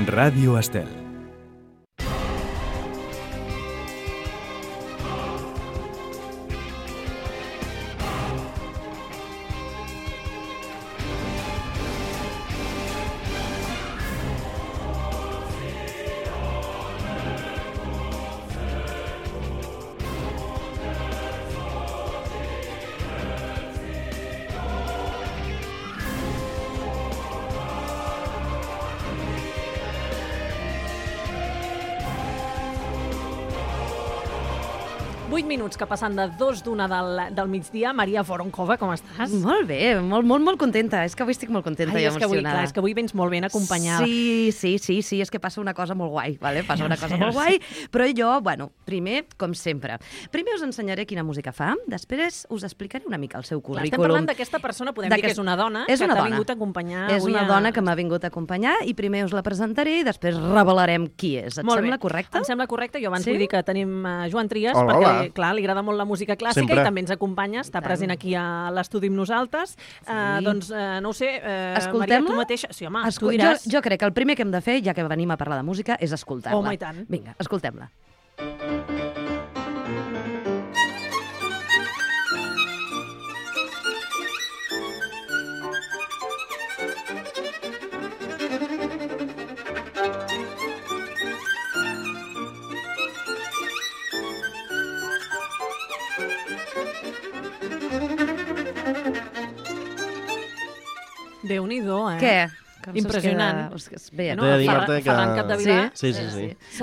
Ràdio Estel. Minuts que passen de 2:01 del migdia. Maria Voronkova, com estàs? Molt bé, molt contenta. És que avui estic molt contenta i emocionada. És que avui vens molt ben acompanyada. Sí, és que passa una cosa molt guai, vale? Passa una cosa molt guai, però jo, primer, com sempre. Primer us ensenyaré quina música fa, després us explicaré una mica el seu currículum. Estem parlant d'aquesta persona, podem dir que és una dona que t'ha vingut a acompanyar. És una dona que m'ha vingut a acompanyar i primer us la presentaré i després revelarem qui és. Et sembla correcte? Em sembla correcte. Jo abans vull dir que tenim Joan Trias, perquè, clar, li agrada molt la música clàssica i també ens acompanya, està present aquí a l'estudi amb nosaltres. Doncs, no ho sé, Maria, tu mateixa... Sí, home, tu diràs... Jo crec que el primer que hem de fer, ja que venim a parlar de música, és escoltar-la. Home, i tant. Vinga, escoltem-la. Déu-n'hi-do, eh? Què? Impressionant. Bé, Ferran Capdevila. Sí.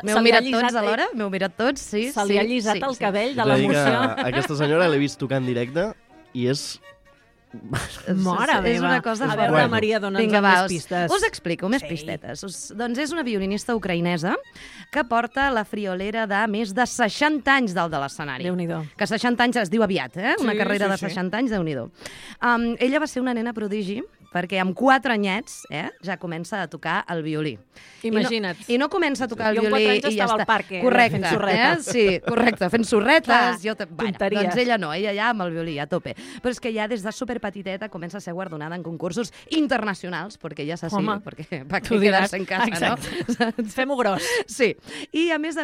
M'heu mirat tots alhora? M'heu mirat tots? Sí. Se li ha allisat el cabell de l'emoció. Aquesta senyora l'he vist tocar en directe i és... Mare meva. És una cosa... A veure, Maria, dona'ns més pistes. Us explico més pistetes. Doncs és una violinista ucraïnesa que porta la friolera de més de 60 anys dalt de l'escenari. Déu-n'hi-do. Que 60 anys es diu aviat, eh? Una carrera de 60 anys, Déu-n'hi-do. Ella va ser una nena prodigi perquè amb 4 anyets ja comença a tocar el violí. Imagina't. I no comença a tocar el violí i ja està. Jo amb 4 anys estava al parc fent sorretes. Sí, correcte, fent sorretes. Tonteries. Doncs ella no, ella ja amb el violí a tope. Però és que ja des de superpetiteta comença a ser guardonada en concursos internacionals, perquè ja s'ha perquè va quedar-se en casa, no? Fem-ho gros. Sí. I a més,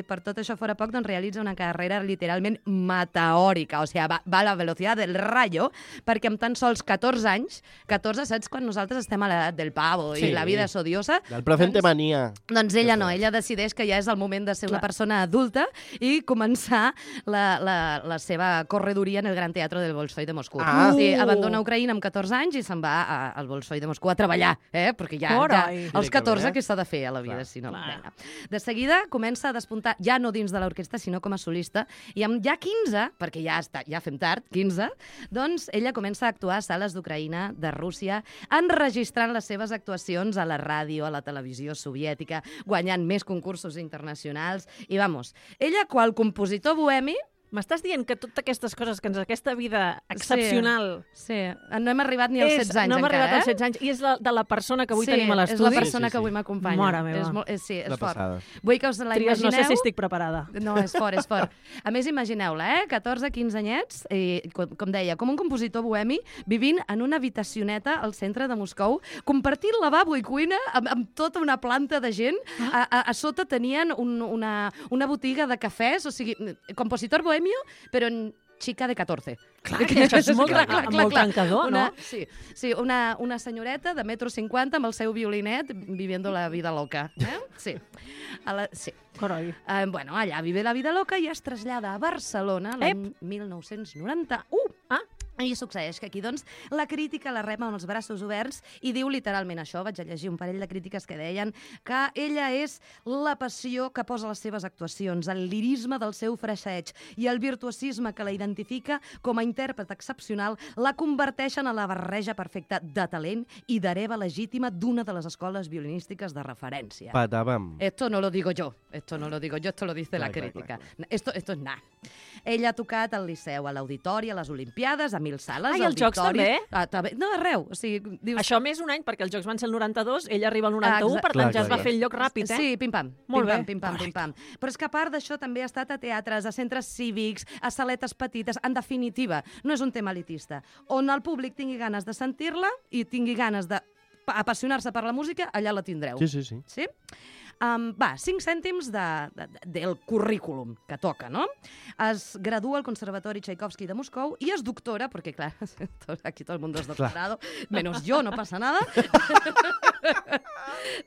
per tot això fora poc, doncs realitza una carrera literalment meteòrica, o sigui, va a la velocitat del rayo, perquè amb tan sols 14 anys, 14, saps quan nosaltres estem a l'edat del pavo i la vida és odiosa? Del presente mania. Doncs ella no, ella decideix que ja és el moment de ser una persona adulta i començar la seva corredoria en el Gran Teatro del Bolshoi de Moscou. Sí, abandona Ucraïna amb 14 anys i se'n va al Bolshoi de Moscou a treballar, perquè ja als 14 què s'ha de fer a la vida, si no? De seguida comença a despuntar, ja no dins de l'orquestra, sinó com a solista, i amb ja 15, perquè ja fem tard, 15, doncs ella comença a actuar a sales d'Ucraïna, de Rússia, enregistrant les seves actuacions a la ràdio, a la televisió soviètica, guanyant més concursos internacionals, i ella, qual compositor bohemi, m'estàs dient que totes aquestes coses, que aquesta vida excepcional... Sí, no hem arribat ni als 16 anys encara, No hem arribat als 16 anys, i és de la persona que avui tenim a l'estudi. Sí, és la persona que avui m'acompanya. Mare meva. Sí, és fort. Vull que us la imagineu... No sé si estic preparada. No, és fort. A més, imagineu-la, 14, 15 anyets, i, com deia, com un compositor bohemi, vivint en una habitacioneta al centre de Moscou, compartint lavabo i cuina amb tota una planta de gent. A sota tenien una botiga de cafès, o sigui, compositor bohemi, però en xica de 14. Clar, que això és molt tancador, no? Sí, una senyoreta de 1,50 m amb el seu violinet viviendo la vida loca. Sí. Carai. Allà vive la vida loca i es trasllada a Barcelona l'any 1991. I succeeix que aquí, doncs, la crítica la rep amb els braços oberts i diu literalment això. Vaig a llegir un parell de crítiques que deien que ella és la passió que posa a les seves actuacions, el lirisme del seu fraseig i el virtuosisme que la identifica com a intèrpret excepcional la converteixen a la barreja perfecta de talent i d'hereva legítima d'una de les escoles violinístiques de referència. Patàvem. Esto no lo digo yo, esto lo dice la crítica. Esto es nada. Ella ha tocat al Liceu, a l'Auditori, a les Olimpiades, a 1000 sales, i als Jocs també? No, arreu. O sigui, dius... Això més un any, perquè els Jocs van ser el 92, ella arriba al 91, per tant ja es va fer el lloc ràpid, Sí, pim-pam. Molt bé. Pim-pam. Però és que a part d'això també ha estat a teatres, a centres cívics, a saletes petites. En definitiva, no és un tema elitista. On el públic tingui ganes de sentir-la i tingui ganes de apassionar-se per la música, allà la tindreu. Sí? 5 cèntims del currículum que toca, no? Es gradua al Conservatori Tchaikovsky de Moscou i es doctora, perquè, clar, aquí tot el mundo es doctorado, menos yo, no passa nada.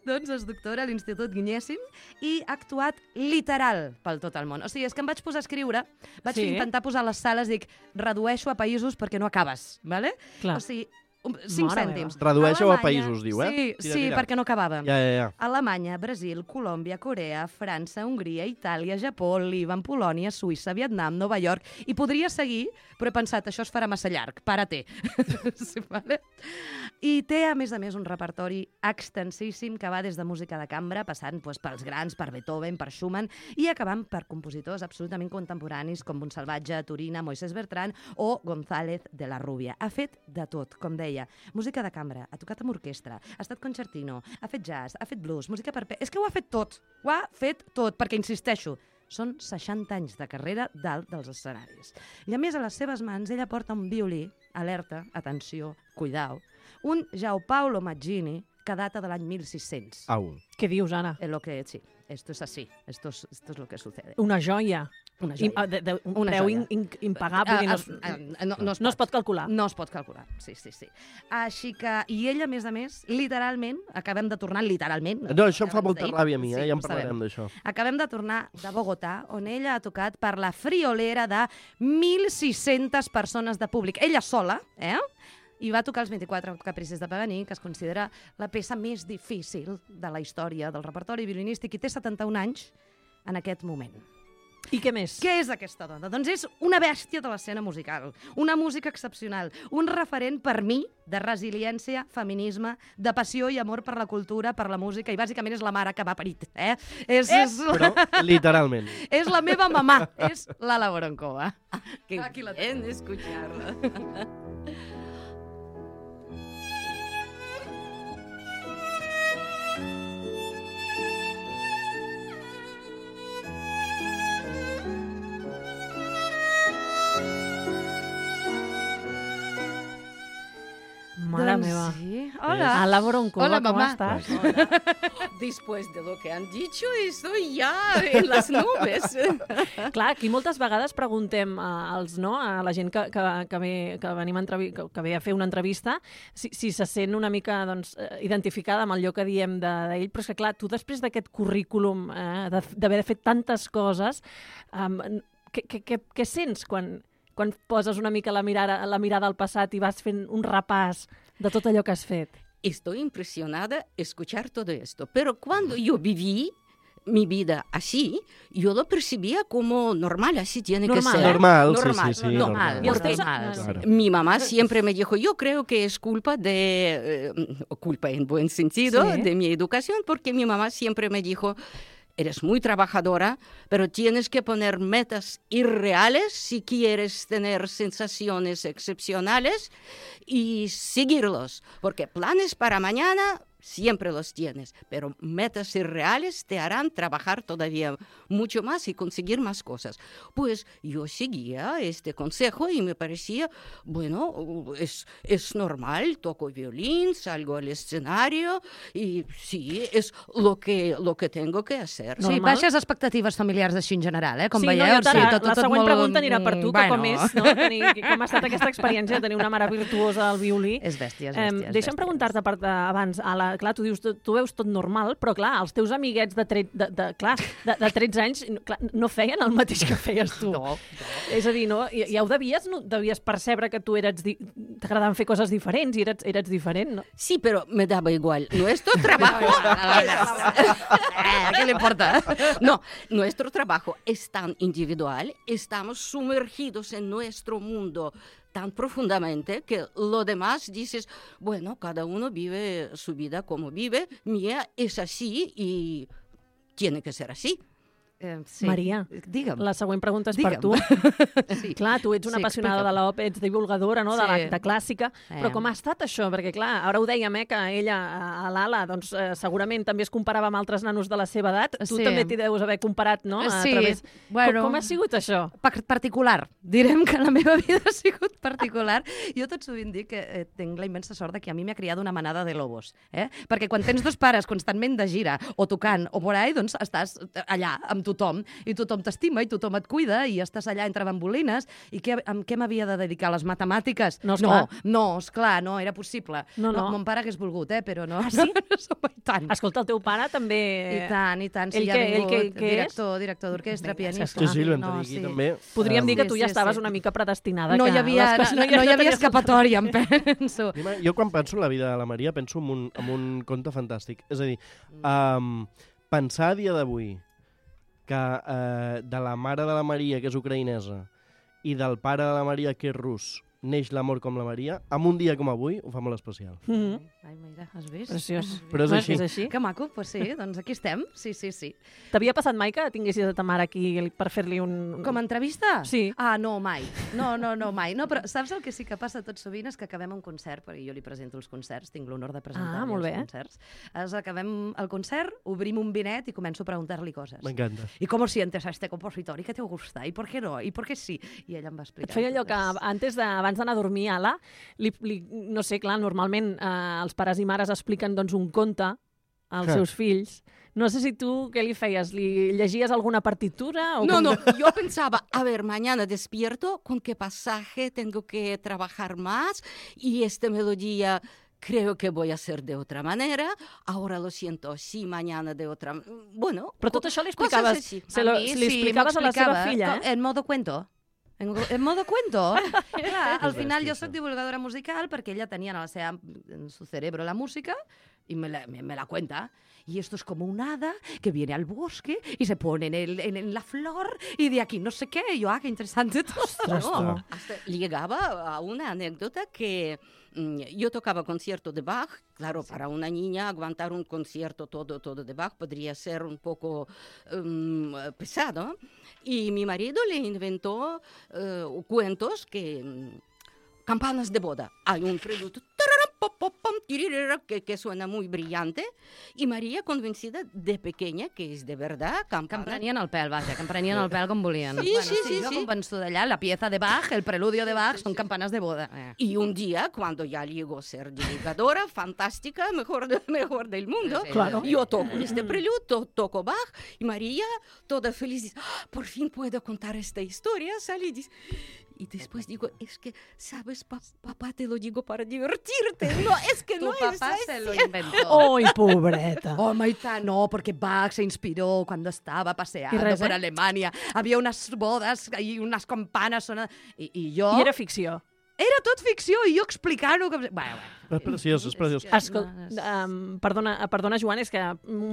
Doncs es doctora a l'Institut Gnessin i ha actuat literal pel tot el món. O sigui, és que em vaig posar a escriure, vaig intentar posar les sales, dic, redueixo a països perquè no acabes, ¿vale? Clar. O sigui, 5 cèntims. Redueixo a països, diu, Sí, perquè no acabàvem. Ja. Alemanya, Brasil, Colòmbia, Corea, França, Hongria, Itàlia, Japó, Líban, Polònia, Suïssa, Vietnam, Nova York... I podria seguir, però he pensat, això es farà massa llarg. Para-te. Sí, vale? I té, a més, un repertori extensíssim que va des de música de cambra, passant pels grans, per Beethoven, per Schumann, i acabant per compositors absolutament contemporanis com Montsalvatge, Turina, Moisés Bertran o González de la Rubia. Ha fet de tot, com deia. Música de cambra, ha tocat amb orquestra, ha estat concertino, ha fet jazz, ha fet blues, música per... És que ho ha fet tot, perquè, insisteixo, són 60 anys de carrera dalt dels escenaris. I a més, a les seves mans, ella porta un violí, alerta, atenció, cuidao, un Giampaolo Maggini que data de l'any 1600. Au. Què dius, Anna? Sí, esto es así, esto es lo que sucede. Una joia. Una joia. Un preu impagable. No es pot calcular. No es pot calcular, sí. Així que, i ella, a més, literalment, acabem de tornar literalment... No, això em fa molta ràbia a mi, ja en parlarem d'això. Acabem de tornar de Bogotà, on ella ha tocat per la friolera de 1.600 persones de públic. Ella sola, i va tocar els 24 capricis de Paganini, que es considera la peça més difícil de la història del repertori violinístic, i té 71 anys en aquest moment. I què més? Què és aquesta dona? Doncs és una bèstia de l'escena musical, una música excepcional, un referent per mi de resiliència, feminisme, de passió i amor per la cultura, per la música, i bàsicament és la mare que m'ha parit. Però literalment. És la meva mamà, és l'Ala Voronkova. Aquí la tenen escucharla. Mare meva. Sí. Hola. Ala Voronkova, Hola, ¿cómo mamá. estás? Después de lo que han dicho, estoy ya en las nubes. Clar, aquí moltes vegades preguntem a la gent que ve a fer una entrevista si se sent una mica identificada amb allò que diem d'ell, però és que clar, tu després d'aquest currículum d'haver fet tantes coses, què sents quan poses una mica la mirada al passat i vas fent un repàs de tot allò que has fet? Estoy impresionada escuchar todo esto, pero cuando yo viví mi vida así, yo lo percibía como normal, así tiene que ser. Normal. Porque mi mamá siempre me dijo, yo creo que es culpa en buen sentido, de mi educación, porque mi mamá siempre me dijo, eres muy trabajadora, pero tienes que poner metas irreales si quieres tener sensaciones excepcionales y seguirlos, porque planes para mañana siempre los tienes, pero metas irreales te harán trabajar todavía mucho más y conseguir más cosas. Pues yo seguía este consejo y me parecía, bueno, es normal, toco violín, salgo al escenario y sí, es lo que tengo que hacer. Sí, baixes expectatives familiars així en general, com veieu. La següent pregunta anirà per tu, que com és, no? Com ha estat aquesta experiència de tenir una mare virtuosa al violí. És bèstia. Deixa'm preguntar-te abans, clar, tu dius, tu veus tot normal, però clar, els teus amiguets de 13 anys no feien el mateix que feies tu. No. És a dir, ja ho devies percebre que tu t'agradaven fer coses diferents i eres diferent, ¿no? Sí, pero me daba igual. Nuestro trabajo... ¿Qué le importa? No, nuestro trabajo es tan individual, estamos sumergidos en nuestro mundo tan profundamente que lo demás dices, bueno, cada uno vive su vida como vive, mía es así y tiene que ser así. Sí. Maria, digue'm. La següent pregunta és per tu. Sí. Clar, tu ets una apassionada de l'òpera, ets divulgadora, no?, de clàssica, però com ha estat això? Perquè, clar, ara ho dèiem, que ella, a l'Ala, doncs, segurament també es comparava amb altres nanos de la seva edat. Tu també t'hi deus haver comparat, no? Sí. Com ha sigut això? Particular. Direm que la meva vida ha sigut particular. Jo tot sovint dic que tinc la immensa sort que a mi m'ha criat una manada de lobos. Perquè quan tens dos pares constantment de gira o tocant o por ahí, doncs estàs allà amb tothom i tothom t'estima i tothom et cuida i estàs allà entre bambolines. I amb què m'havia de dedicar? A les matemàtiques? No, esclar, no era possible. No. Mon pare hagués volgut, però no. Ah, sí? I tant. Escolta, el teu pare també... I tant. Sí, director d'orquestra, pianista. Sí, el vam tenir aquí també. Podríem dir que tu ja estaves una mica predestinada. No hi havia escapatòria, em penso. Jo quan penso en la vida de la Maria penso en un conte fantàstic. És a dir, pensar a dia d'avui que de la mare de la Maria, que és ucraïnesa, i del pare de la Maria, que és rus, neix l'amor com la Maria, en un dia com avui ho fa molt especial. Ai, mira, has vist? Preciós. Però és així. Que maco, doncs sí, doncs aquí estem. Sí. T'havia passat mai que tinguessis a ta mare aquí per fer-li un... Com a entrevista? Sí. Ah, no, mai. No, mai. No, però saps el que sí que passa tot sovint és que acabem un concert, perquè jo li presento els concerts, tinc l'honor de presentar-li els concerts. Acabem el concert, obrim un vinet i començo a preguntar-li coses. M'encanta. ¿Y cómo sientes a este compositor? ¿Y qué te gusta? ¿Y por qué no? ¿Y por qué sí? I ella em va explicar. Et feia allò que abans d'anar a dormir, Ala, no sé, clar, normalment els pares i mares expliquen doncs, un conte als seus fills. No sé si tu què li feies? Li llegies alguna partitura? No, yo pensaba, a ver, mañana despierto, ¿con qué pasaje tengo que trabajar más? Y esta melodía creo que voy a hacer de otra manera, ahora lo siento así, mañana de otra... Bueno, però tot això li explicaves, li explicaves a la seva filla, En modo cuento. En modo cuento. Clar, al final jo soc divulgadora musical perquè ella tenia en su cerebro la música y me la cuenta. Y esto es como un hada que viene al bosque y se pone en la flor y de aquí no sé qué. Y yo, qué interesante todo. No, hasta llegaba a una anécdota que yo tocaba concierto de Bach. Claro, para una niña aguantar un concierto todo de Bach podría ser un poco pesado. Y mi marido le inventó cuentos que... campanas de boda. Hay un preludio que suena muy brillante y María convencida de pequeña que es de verdad que em prenien el pèl, vaja, que em prenien el pèl com volien. Sí. Jo convençuda allà, la pieza de Bach, el preludio de Bach, son campanas de boda. Y un día, cuando ya llegó a ser divulgadora, fantástica, mejor del mundo, claro. Yo toco este preludio, toco Bach, y María, toda feliz, dice, por fin puedo contar esta historia, sale y dice... Y después digo, es que, ¿sabes, papá, te lo digo para divertirte? No, es que tu no es papá así. se lo inventó. ¡Ay, pobreta! No, porque Bach se inspiró cuando estaba paseando por Alemania. Había unas bodas y unas campanas sonando. I jo... I era ficció. Era tot ficció i jo explicant-ho... Bueno. És preciós. Perdona, Joan, és que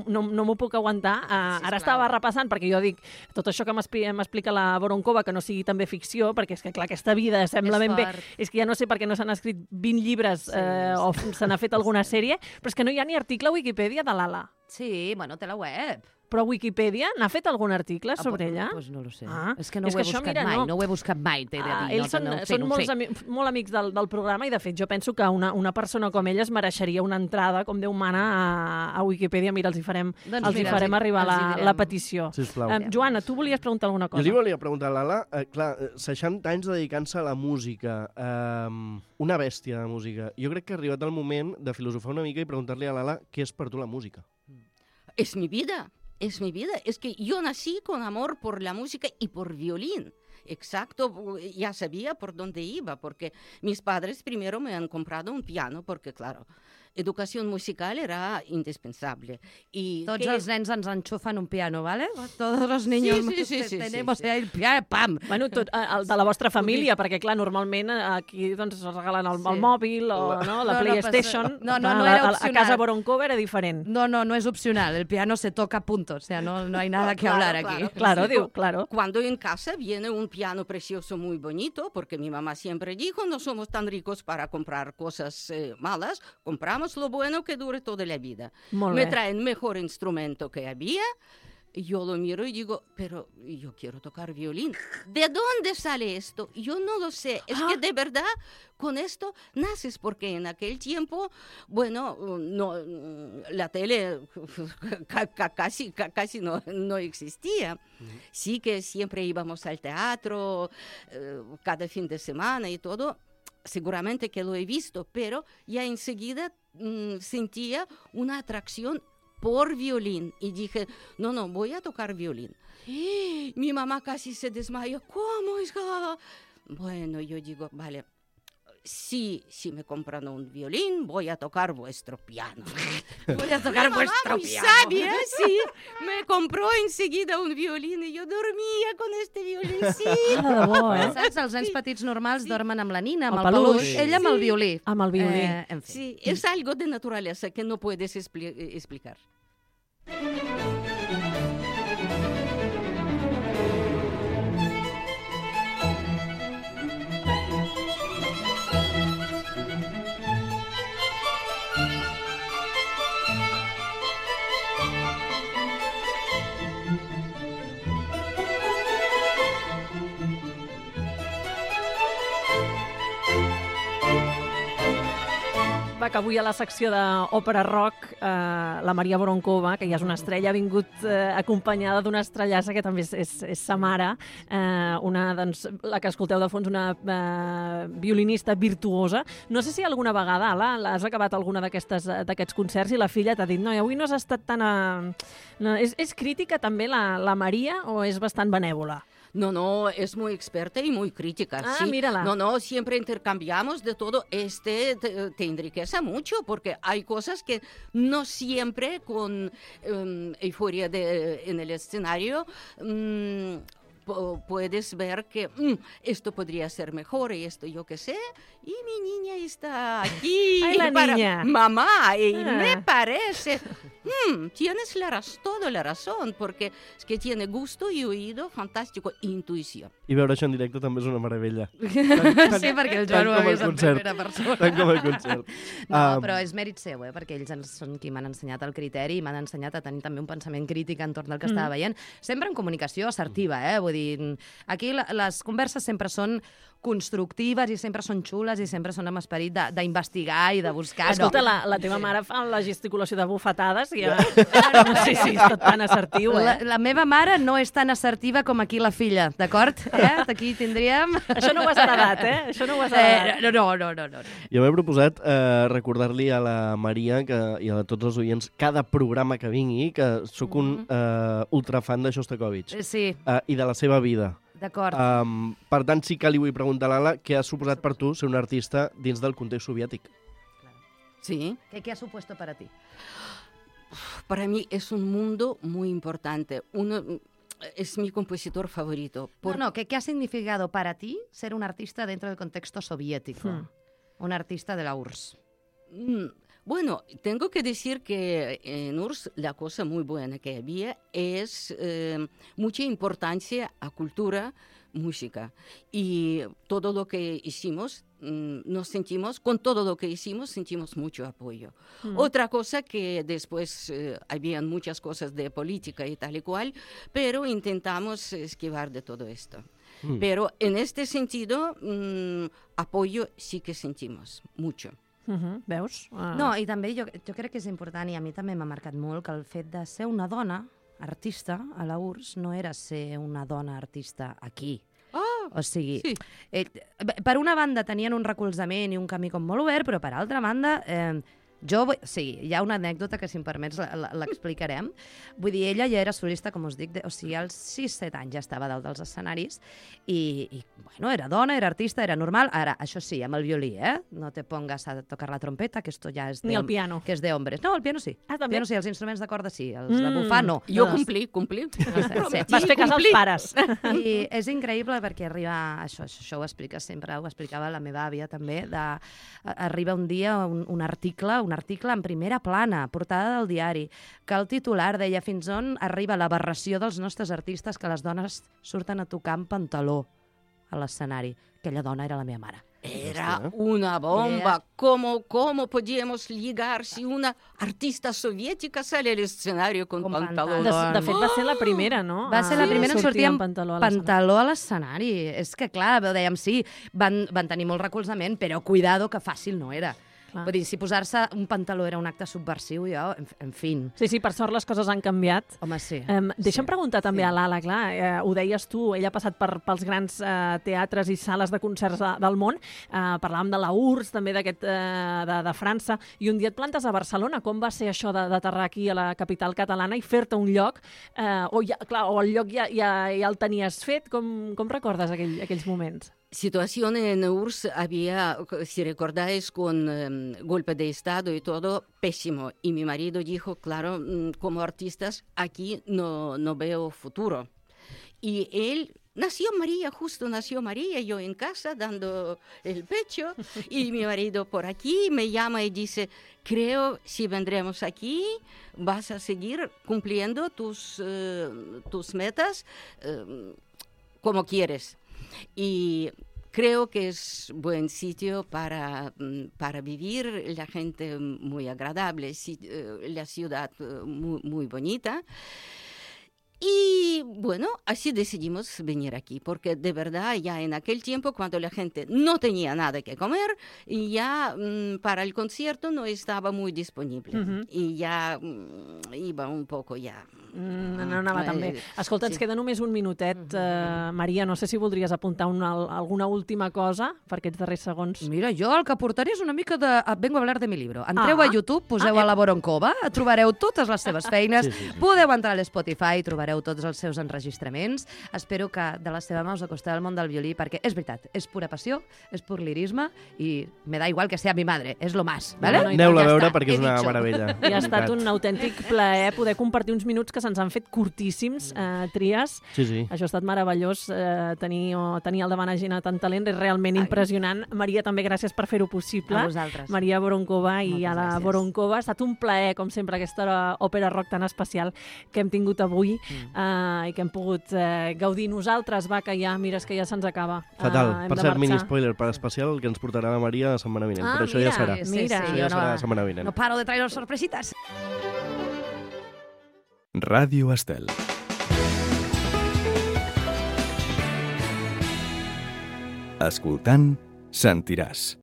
no m'ho puc aguantar. Ara estava repassant, perquè jo dic, tot això que m'explica la Voronkova, que no sigui també ficció, perquè és que, clar, aquesta vida sembla ben bé... És que ja no sé per què no s'han escrit 20 llibres o se n'ha fet alguna sèrie, però és que no hi ha ni article a Wikipedia de l'Ala. Sí, bueno, té la web. Però Wikipedia n'ha fet algun article sobre ella? Doncs no lo sé. És que no ho he buscat mai. No ho he buscat mai, t'he de dir. Ells són molt amics del programa i, de fet, jo penso que una persona com ella es mereixeria una entrada, com Déu mana, a Wikipedia. Mira, els hi farem arribar la petició. Sisplau. Joana, tu volies preguntar alguna cosa? Jo li volia preguntar a l'Ala, clar, 60 anys dedicant-se a la música, una bèstia de música. Jo crec que ha arribat el moment de filosofar una mica i preguntar-li a l'Ala què és per tu la música. Es mi vida. Es mi vida, es que yo nací con amor por la música y por violín. Exacto, ya sabía por dónde iba, porque mis padres primero me han comprado un piano, porque claro, educación musical era indispensable. Y tots els nens ens enxufen un piano, ¿vale? Todos los niños tenemos el piano, pam! Bueno, el de la vostra família, perquè clar, normalment aquí doncs regalen el mòbil o la PlayStation. No era opcional. A casa Voronkova era diferent. No es opcional, el piano se toca punto, o sea, no hay nada que hablar aquí. Claro. Cuando en casa viene un piano precioso muy bonito, porque mi mamá siempre dijo, no somos tan ricos para comprar cosas malas, compramos lo bueno que dure toda la vida. Me traen mejor instrumento que había, Yo lo miro y digo, pero yo quiero tocar violín. ¿De dónde sale esto? Yo no lo sé. Es que de verdad con esto naces, porque en aquel tiempo, bueno, no, la tele casi no existía. Sí que siempre íbamos al teatro cada fin de semana y todo. Seguramente que lo he visto, pero ya enseguida sentía una atracción por violín y dije, no, voy a tocar violín. Mi mamá casi se desmayó. ¿Cómo, hija? Bueno, yo digo, vale, si me compran un violín, voy a tocar vuestro piano. Voy a tocar vuestro piano. Sabia, sí, me compró enseguida un violín y yo dormia con este violincito. Saps? Els nens petits normals dormen amb la nina, amb el peluix, ella amb el violí. Amb el violí. En fi. Sí, es algo de naturaleza que no puedes explicar. Va, que avui a la secció d'òpera rock la Maria Voronkova, que ja és una estrella, ha vingut acompanyada d'una estrellassa que també és sa mare, doncs, la que escolteu de fons, una violinista virtuosa. No sé si alguna vegada, Ala, has acabat alguna d'aquests concerts i la filla t'ha dit, no, avui no has estat tan... És crítica també la Maria o és bastant benèvola? No, es muy experta y muy crítica. Ah, sí. Mírala. No, siempre intercambiamos de todo. Te enriquece mucho porque hay cosas que no siempre con euforia en el escenario puedes ver que esto podría ser mejor y esto yo qué sé. Y mi niña está aquí. Ay, la niña. Mamá, y me parece... tienes toda la razón, porque es que tiene gusto y oído fantástico, intuïció. I veure això en directe també és una meravella. Sí, perquè el Joan ho ha vist en primera persona. Tant com el concert. No, però és mèrit seu, perquè ells són qui m'han ensenyat el criteri i m'han ensenyat a tenir també un pensament crític entorn del que estava veient. Sempre en comunicació assertiva, vull dir, aquí les converses sempre són constructives i sempre són xules i sempre són amb esperit d'investigar i de buscar. Escolta, la teva mare fa la gesticulació de bufetades i no sé si és tot tan assertiu, La meva mare no és tan assertiva com aquí la filla, d'acord? Aquí tindríem... Això no ho has heredat, Això no ho has heredat. No. Jo m'he proposat recordar-li a la Maria i a tots els oients cada programa que vingui que sóc un ultrafan de Shostakovich i de la seva vida. D'acord. Per tant, sí que li vull preguntar a l'Ala què ha suposat per tu ser un artista dins del context soviètic. Sí. ¿Qué ha supuesto para ti? Para mí es un mundo muy importante. Es mi compositor favorito. ¿Qué ha significado para ti ser un artista dentro del contexto soviético? Un artista de la URSS. Bueno, tengo que decir que en URSS la cosa muy buena que había es mucha importancia a cultura, música. Y todo lo que hicimos, con todo lo que hicimos, sentimos mucho apoyo. Otra cosa que después habían muchas cosas de política y tal y cual, pero intentamos esquivar de todo esto. Pero en este sentido, apoyo sí que sentimos mucho. Veus? No, i també jo crec que és important, i a mi també m'ha marcat molt, que el fet de ser una dona artista a la URSS no era ser una dona artista aquí. O sigui, per una banda tenien un recolzament i un camí com molt obert, però per altra banda... hi ha una anècdota que, si em permets, l'explicarem. Vull dir, ella ja era solista, com us dic, als 6-7 anys ja estava dalt dels escenaris i bueno, era dona, era artista, era normal. Ara, això sí, amb el violí, No te pongas a tocar la trompeta, que esto ya es de... Ni el piano. Que és de hombres. No, el piano sí. Ah, també? El piano sí, els instruments de corda sí, els de bufar no. Jo complí. Vas fer cas als pares. I és increïble perquè arriba... Això ho explica sempre, ho explicava la meva àvia també, arriba un dia un article en primera plana, portada del diari, que el titular deia fins on arriba l'aberració dels nostres artistes que les dones surten a tocar amb pantaló a l'escenari. Aquella dona era la meva mare. Era una bomba. ¿Cómo podíamos ligar si una artista soviètica sale al escenario con pantaló? De fet, va ser la primera, no? Va ser la primera en sortir amb pantaló a l'escenari. És que, clar, dèiem, sí, van tenir molt recolzament, però cuidado que fàcil no era. Vull dir, si posar-se un pantaló era un acte subversiu, jo, en fi. Sí, per sort les coses han canviat. Home, sí. Deixa'm preguntar també a l'Ala, clar, ho deies tu, ella ha passat pels grans teatres i sales de concerts del món, parlàvem de la URSS, també de França, i un dia et plantes a Barcelona. Com va ser això d'aterrar aquí a la capital catalana i fer-te un lloc, o el lloc ja el tenies fet? Com recordes aquells moments? Situación en URSS había, si recordáis, con golpe de Estado y todo, pésimo. Y mi marido dijo, claro, como artistas, aquí no veo futuro. Y él justo nació María, yo en casa dando el pecho, y mi marido por aquí me llama y dice, creo si vendremos aquí vas a seguir cumpliendo tus metas como quieres. Y creo que es buen sitio para vivir, la gente muy agradable, la ciudad muy bonita. Y bueno, así decidimos venir aquí, porque de verdad ya en aquel tiempo, cuando la gente no tenía nada que comer, y ya para el concierto no estaba muy disponible. Y ya iba un poco ya... No anava tan bé. Escolta, ens queda només un minutet. Maria, no sé si voldries apuntar alguna última cosa per aquests darrers segons. Mira, jo el que aportaré és una mica de... Vengo a hablar de mi libro. Entreu a YouTube, poseu a la Voronkova, trobareu totes les seves feines, podeu entrar a l'Spotify, trobareu tots els seus enregistraments. Espero que de la seva mà us acosteu al món del violí, perquè és veritat, és pura passió, és pur lirisme, i me da igual que sea mi madre, és lo más. Aneu-la a veure perquè és una meravella. I ha estat un autèntic plaer poder compartir uns minuts que se'ns han fet curtíssims, Trias. Sí. Això ha estat meravellós, tenir al davant a gent amb tant talent, és realment impressionant. Maria, també gràcies per fer-ho possible. A vosaltres. Maria Voronkova i a la Voronkova. Ha estat un plaer, com sempre, aquesta òpera rock tan especial que hem tingut avui i que hem pogut gaudir nosaltres. Va, que ja, mires que ja se'ns acaba. Fatal. Per cert, mini spoiler, per especial, que ens portarà la Maria la setmana vinent. Però això ja serà. Mira. Ja serà la setmana vinent. No paro de traer sorpresitas. Ràdio Estel. Escoltant, sentiràs.